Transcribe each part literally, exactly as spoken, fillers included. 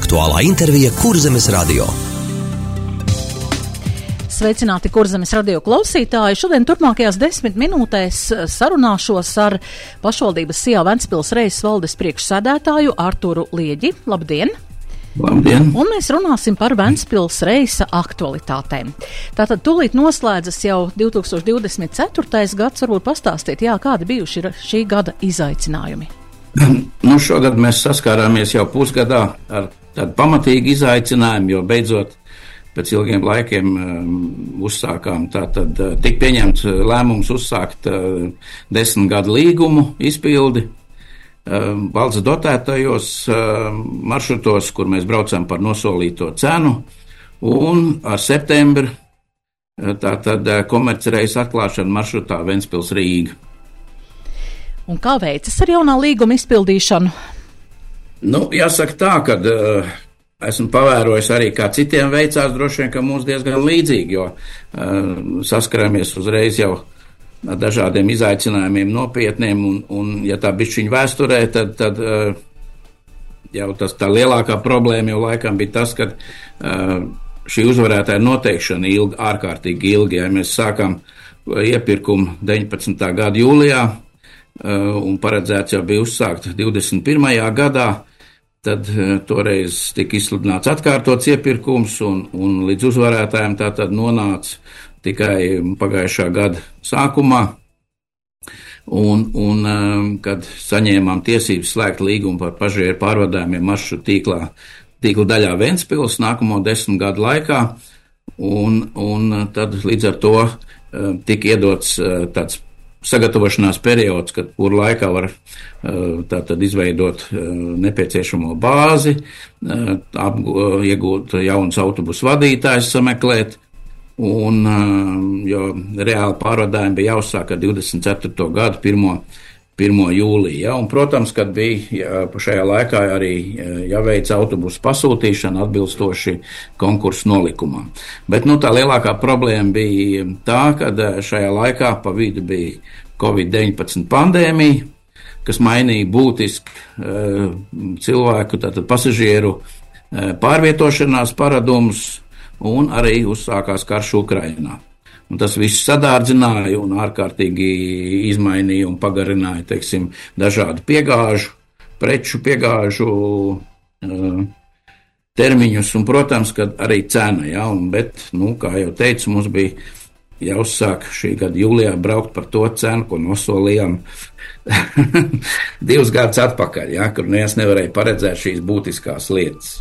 Aktuālā intervija Kurzemes radio. Sveicināti Kurzemes radio klausītāji. Šodien turpmākajās desmit minūtēs sarunāšos ar pašvaldības Sijā Ventspils Reises valdes priekšsēdētāju Arturu Lieģi. Labdien! Labdien! Un mēs runāsim par Ventspils Reisa aktualitātēm. Tātad tūlīt noslēdzas jau divi tūkstoši divdesmit ceturtais gads. Varbūt pastāstīt, jā, kādi bijuši ir šī gada izaicinājumi? Nu, šogad mēs saskārāmies jau pusgadā ar tādu pamatīgu izaicinājumu, jo beidzot pēc ilgiem laikiem um, uzsākām tātad uh, tik pieņemts lēmums uzsākt uh, desmit gadu līgumu izpildi uh, valsts dotētajos uh, maršrutos, kur mēs braucam par nosolīto cenu, un ar septembri uh, tātad uh, komercreisu atklāšanu maršrutā Ventspils Rīga. Un kā veicas ar jaunā līguma izpildīšanu? Nu, jāsaka tā, ka uh, esmu pavērojis arī, kā citiem veicās, droši vien, ka mums diezgan līdzīgi, jo uh, saskaramies uzreiz jau ar dažādiem izaicinājumiem nopietniem, un, un ja tā bišķiņa vēsturē, tad, tad uh, jau tas tā lielākā problēma jau laikam bija tas, ka uh, šī uzvarētāja noteikšana ilgi, ārkārtīgi ilgi, ja mēs sākām iepirkumu deviņpadsmitā gada jūlijā, uh, un paredzēts jau bija uzsākt divdesmit pirmajā gadā, tad uh, toreiz tika izsludināts atkārtots iepirkums, un, un līdz uzvarētājiem tā tad nonāca tikai pagājušā gada sākumā, un, un um, kad saņēmām tiesības slēgt līgumu par pasažieru pārvadājumiem maršrutu tīklā, tīkla daļā Ventspils nākamo desmit gadu laikā, un, un tad līdz ar to uh, tika iedots uh, tāds sagatavošanās periods, kad kur laikā var tātad izveidot nepieciešamo bāzi, ap, iegūt jauns autobusu vadītājs, sameklēt, un, jo reāli pārvadājumi bija jāuzsāk ar divdesmit ceturto gadu pirmo jūliju, ja, un, protams, kad bija jā, šajā laikā arī jāveic autobusu pasūtīšana atbilstoši konkursu nolikumam. Bet, nu, tā lielākā problēma bija tā, ka šajā laikā pa vidu bija covid deviņpadsmit pandēmija, kas mainīja būtiski uh, cilvēku, tātad pasažieru uh, pārvietošanās paradumus, un arī uzsākās karš Ukrainā. Un tas viss sadārdzināja un ārkārtīgi izmainīja un pagarināja, teiksim, dažādu piegāžu, preču piegāžu uh, termiņus, un, protams, kad arī cena, ja, un, bet, nu, kā jau teicu, mums bija jāuzsāk šī gada jūlijā braukt par to cenu, ko nosolījām divus gadus atpakaļ, ja, kur neviens nevarēja paredzēt šīs būtiskās lietas.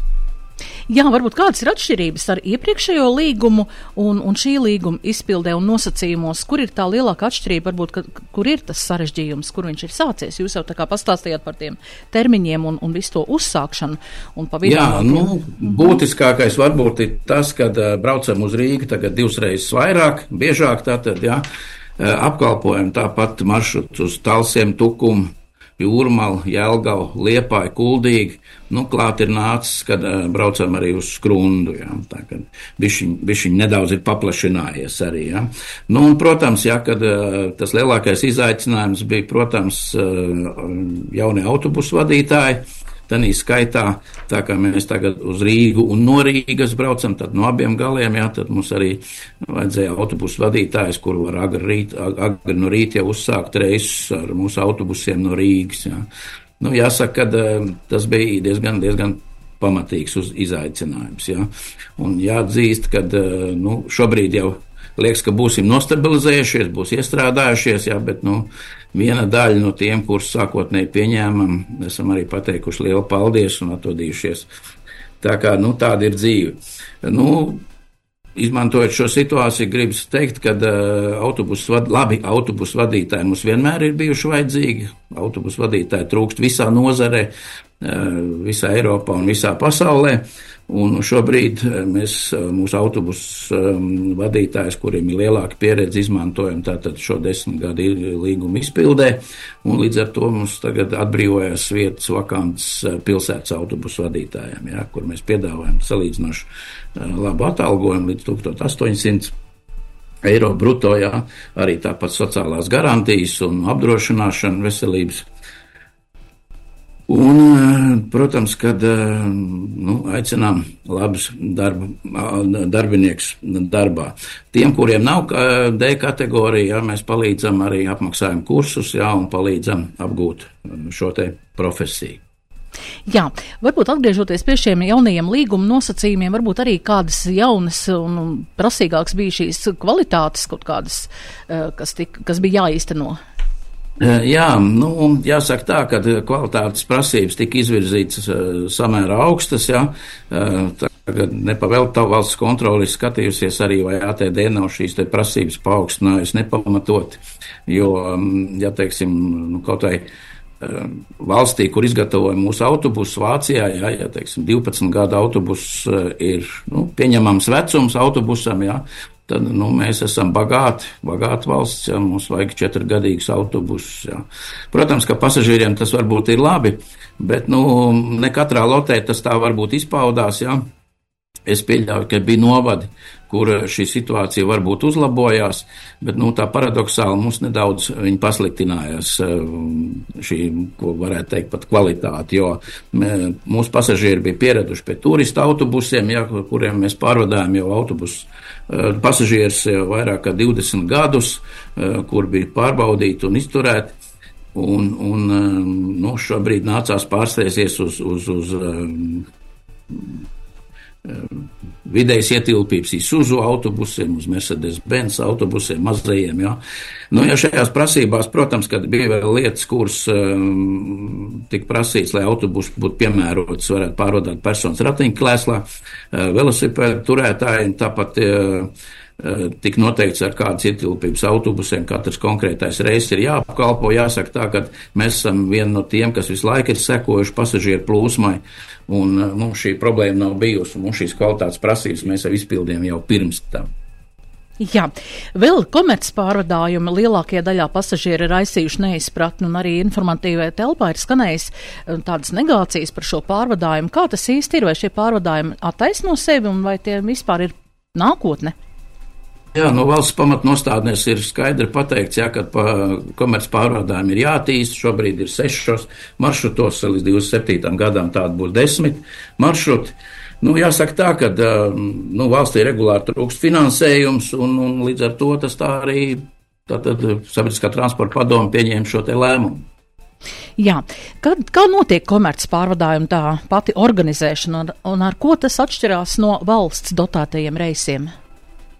Jā, varbūt kādas ir atšķirības ar iepriekšējo līgumu un, un šī līguma izpildē un nosacījumos, kur ir tā lielākā atšķirība, varbūt, ka, kur ir tas sarežģījums, kur viņš ir sācies? Jūs jau tā kā pastāstījāt par tiem termiņiem un, un visu to uzsākšanu. Un pa vidu. Jā, nu, būtiskākais varbūt ir tas, kad uh, braucam uz Rīgu tagad divas reizes vairāk, biežāk tātad, jā, uh, apkalpojam tāpat maršruts uz Talsiem, Tukumu, Jūrmalu, Jelgavu, Liepāju, Kuldīgi, nu, klāt ir nācis, kad uh, braucam arī uz Skrundu, jā, tā, kad bišķiņ, bišķiņ nedaudz ir paplašinājies arī, jā. Nu, un, protams, jā, kad uh, tas lielākais izaicinājums bija, protams, uh, jaunie autobusu vadītāji, tanī skaitā, tā kā mēs tagad uz Rīgu un no Rīgas braucam, tad no abiem galiem, jā, tad mums arī vajadzēja autobusu vadītājs, kur var agri, rīt, agri no rīta jau uzsākt reisus ar mūsu autobusiem no Rīgas, jā. Nu, jāsaka, ka tas bija diezgan, diezgan pamatīgs uz izaicinājums, jā. Un jāatzīst, ka, nu, šobrīd jau liekas, ka būsim nostabilizējušies, būs iestrādājušies, jā, bet, nu, viena daļa no tiem, kurus sākotnēji pieņēmam, esam arī pateikuši lielu paldies un atvadījušies. Tā kā, nu, tāda ir dzīve. Nu, izmantojot šo situāciju, gribas teikt, ka uh, autobusu vad, labi autobusu vadītāji mums vienmēr ir bijuši vajadzīgi. Autobusu vadītāji trūkst visā nozarē, uh, visā Eiropā un visā pasaulē. Un šobrīd mēs mūsu autobusu um, vadītājus, kuriem ir lielāka pieredze, izmantojam tātad šo desmit gadu līgumu izpildē, un līdz ar to mums tagad atbrīvojas vietas vakants pilsētas autobusu vadītājiem, jā, kur mēs piedāvājam salīdzinoši uh, labu atalgojumu līdz tūkstoš astoņsimt eiro bruto, jā, arī tāpat sociālās garantijas un apdrošināšana veselības. Un, Protams, kad nu, aicinām labus darba, darbinieks darbā. Tiem, kuriem nav D kategorija, jā, mēs palīdzam arī apmaksājam kursus, jā, un palīdzam apgūt šo te profesiju. Jā, varbūt atgriežoties pie šiem jaunajiem līguma nosacījumiem, varbūt arī kādas jaunas un prasīgākas bija šīs kvalitātes kaut kādas, kas, tik, kas bija jāīsteno. Jā, nu, jāsaka tā, ka kvalitātes prasības tika izvirzītas samērā augstas, jā. Tagad nepavēl tā valsts kontroli skatījusies arī, vai A T D nav šīs te prasības paaugstinājusi nepamatot, jo, ja teiksim, nu, kaut vai valstī, kur izgatavoja mūsu autobusu Vācijā, jā, ja, teiksim, divpadsmit gadu autobus ir, nu, pieņemams vecums autobusam, jā, tad, nu, mēs esam bagāti, bagāti valsts, jā, mums vajag četrgadīgus autobusus, jā. Protams, ka pasažīriem tas varbūt ir labi, bet, nu, ne katrā lotē tas tā varbūt izpaudās, jā. Es pieļauju, ka bija novadi, kur šī situācija varbūt uzlabojās, bet, nu, tā paradoksāli mums nedaudz viņi pasliktinājās šī, ko varētu teikt, pat kvalitāti, jo mūsu pasažieri bija pieraduši pie turista autobusiem, ja, kuriem mēs pārvadājam jau autobusus pasažieris vairāk kā divdesmit gadus, kur bija pārbaudīti un izturēti, un, un nu, šobrīd nācās pārsteigties uz, uz, uz vidējas ietilpības Isuzu autobusiem, uz Mercedes-Benz autobusiem, mazajiem, jā. Nu, ja šajās prasībās, protams, kad bija vēl lietas, kuras um, tika prasīts, lai autobus būtu piemērots, varētu pārvadāt personas ratiņkrēslā, uh, velosipēdu turētājiem, tāpat uh, tik noteikts, ar kādas ietilpības autobusiem katrs konkrētais reizes ir jāapkalpo. Jāsaka tā, ka mēs esam vieni no tiem, kas visu laiku ir sekojuši pasažieru plūsmai, un mums šī problēma nav bijusi, un mums šīs kvalitātes prasības mēs jau izpildījām jau pirms tam. Jā, vēl komerces pārvadājumi lielākajā daļā pasažieri ir aizsījuši neizpratni, un arī informatīvajā telpā ir skanējis tādas negācijas par šo pārvadājumu. Kā tas īsti ir, vai šie pārvadājumi attaisno sevi, un vai tie vispār ir nākotne? Jā, no valsts pamatnostādnēs ir skaidri pateikts, jā, ka pa komerces pārvadājumi ir jātīst. Šobrīd ir sešos maršrutos, līdz divdesmit septītajam gadam tādi būs desmit maršruti. Nu, jāsaka tā, ka nu, valstī regulāri trūkst finansējums, un, un līdz ar to tas tā arī tātad sabiedriskā transporta padome pieņēma šo te lēmumu. Jā, kad, kā notiek komerces pārvadājuma tā pati organizēšana, un, un ar ko tas atšķirās no valsts dotētajiem reisiem?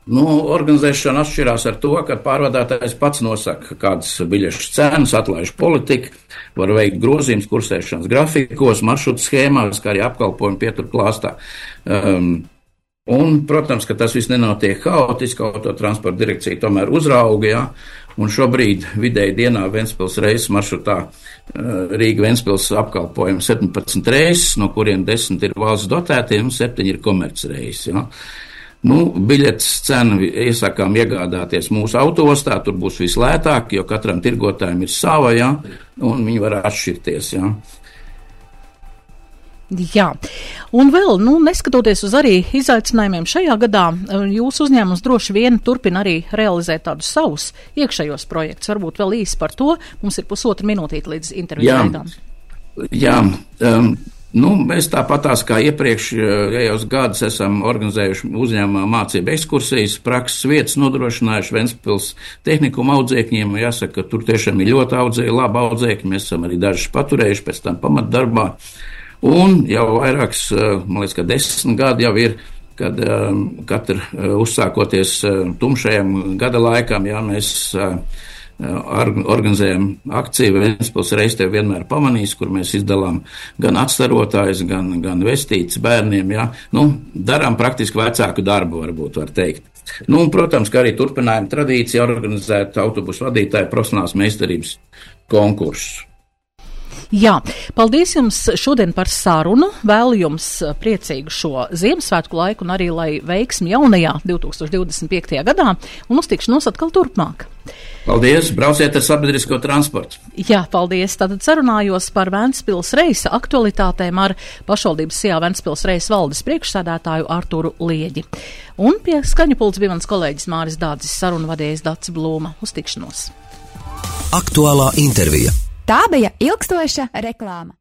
Nu, organizēšana atšķirās ar to, ka pārvadātājs pats nosaka, kādas biļešu cenas, atlaiž politika, var veikt grozījums kursēšanas grafikos, maršrutu schēmās, kā arī apkalpojumu pieturklāstā. Um, un, protams, ka tas viss nenotiek haotiski, autotransporta direkcija tomēr uzrauga, jā, un šobrīd vidēji dienā Ventspils reizes maršrutā uh, Rīga-Ventspils apkalpojumi septiņpadsmit reizes, no kuriem desmit ir valsts dotētie un septiņi ir komerces reizes, jā. Nu, biļetes cenu iesakām iegādāties mūsu autoostā, tur būs vislētāk, jo katram tirgotājiem ir sava, jā, un viņi var atšķirties, jā. Jā, un vēl, nu, neskatoties uz arī izaicinājumiem šajā gadā, jūsu uzņēmums droši vien turpina arī realizēt tādus savus iekšējos projektus. Varbūt vēl īsi par to, mums ir pusotra minūtīte līdz interviju gaidām. Jā, um, Nu, mēs tāpatās kā iepriekšējos gadus esam organizējuši uzņēmumā mācību ekskursijas, prakses vietas nodrošinājuši Ventspils tehnikuma audzēkņiem. Jāsaka, ka tur tiešām ir ļoti audzēji, labi audzēkņi, mēs esam arī dažus paturējuši pēc tam pamatdarbā. Un jau vairāks, man liekas, ka desmit gadi jau ir, kad um, katru uh, uzsākoties uh, tumšajam gada laikam, jā, mēs uh, organizējam akciju Ventspils reiz tev vienmēr pamanīs, kur mēs izdalām gan atstarotājus, gan, gan vestītes bērniem, jā. Nu, darām praktiski vecāku darbu, varbūt var teikt. Nu, un, protams, ka arī turpinājam tradīciju organizēt autobusu vadītāju profesionālās meistarības konkursus. Jā, paldies jums šodien par sarunu, vēlu jums priecīgu šo Ziemassvētku laiku un arī lai veiksmi jaunajā divtūkstoš divdesmit piektajā gadā un uz tikšanos atkal turpmāk. Paldies, brauciet ar sabiedrisko transportu. Jā, paldies. Tātad sarunājos par Ventspils reisa aktualitātēm ar pašvaldības Sijā Ventspils reisa valdes priekšsēdētāju Arturu Lieģi. Un pie skaņu pults bija mans kolēģis Māris Dādzis, sarunu vadījis Dacis Blūma. Uz tikšanos. Aktuālā intervija. Tā bija ilgstoša reklāma.